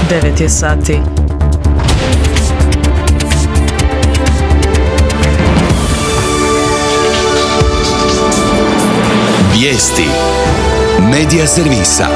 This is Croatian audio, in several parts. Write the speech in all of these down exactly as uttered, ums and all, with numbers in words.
devet je sati. Vijesti Medija servisa.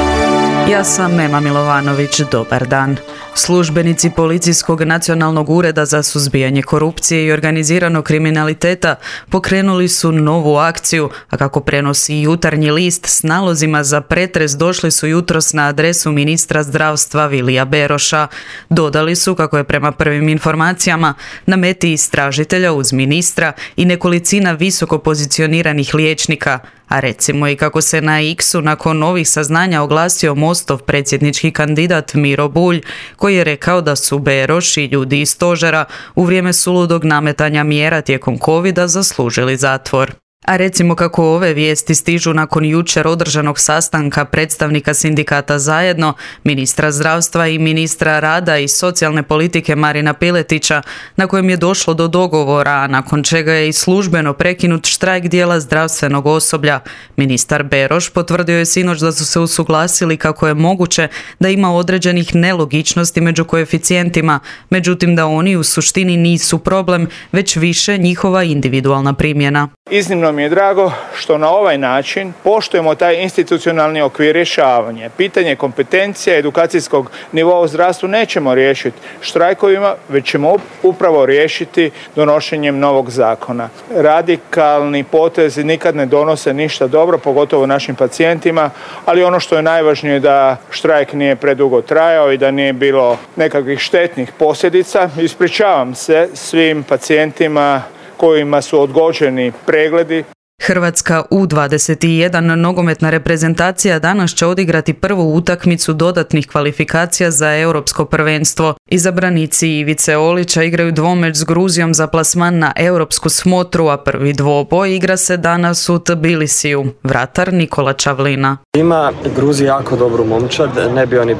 Ja sam Ema Milovanović, dobar dan. Službenici Policijskog nacionalnog ureda za suzbijanje korupcije i organiziranog kriminaliteta pokrenuli su novu akciju, a kako prenosi Jutarnji list, s nalozima za pretres došli su jutros na adresu ministra zdravstva Vilija Beroša. Dodali su, kako je prema prvim informacijama, na meti istražitelja uz ministra i nekolicina visoko pozicioniranih liječnika, a recimo i kako se na X-u nakon novih saznanja oglasio Mostov predsjednički kandidat Miro Bulj, koji je rekao da su Beroš i ljudi iz stožera u vrijeme suludog nametanja mjera tijekom covida zaslužili zatvor. A recimo kako ove vijesti stižu nakon jučer održanog sastanka predstavnika sindikata Zajedno, ministra zdravstva i ministra rada i socijalne politike Marina Piletića, na kojem je došlo do dogovora, a nakon čega je i službeno prekinut štrajk dijela zdravstvenog osoblja. Ministar Beroš potvrdio je sinoć da su se usuglasili kako je moguće da ima određenih nelogičnosti među koeficijentima, međutim da oni u suštini nisu problem, već više njihova individualna primjena. Iznimno mi je drago što na ovaj način poštujemo taj institucionalni okvir rješavanja. Pitanje kompetencija edukacijskog nivoa u zdravstvu nećemo riješiti štrajkovima, već ćemo upravo riješiti donošenjem novog zakona. Radikalni potezi nikad ne donose ništa dobro, pogotovo našim pacijentima, ali ono što je najvažnije je da štrajk nije predugo trajao i da nije bilo nekakvih štetnih posljedica. Ispričavam se svim pacijentima kojima su odgođeni pregledi. Hrvatska U dvadeset jedan nogometna reprezentacija danas će odigrati prvu utakmicu dodatnih kvalifikacija za europsko prvenstvo. Izabranici Ivice Olića igraju dvomeč s Gruzijom za plasman na europsku smotru, a prvi dvoboj igra se danas u Tbilisiju. Vratar Nikola Čavlina. Ima Gruzija jako dobru momčad, ne bi oni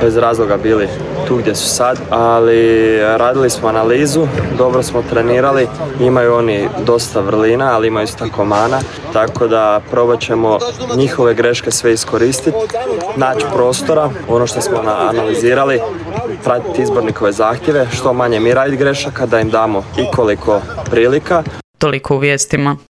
bez razloga bili tu gdje su sad, ali radili smo analizu, dobro smo trenirali, imaju oni dosta vrlina, ali imaju isto tako mana, tako da probat ćemo njihove greške sve iskoristiti, naći prostora, ono što smo analizirali, pratiti izbornikove zahtjeve, što manje mi raditi grešaka, da im damo i koliko prilika. Toliko u vijestima.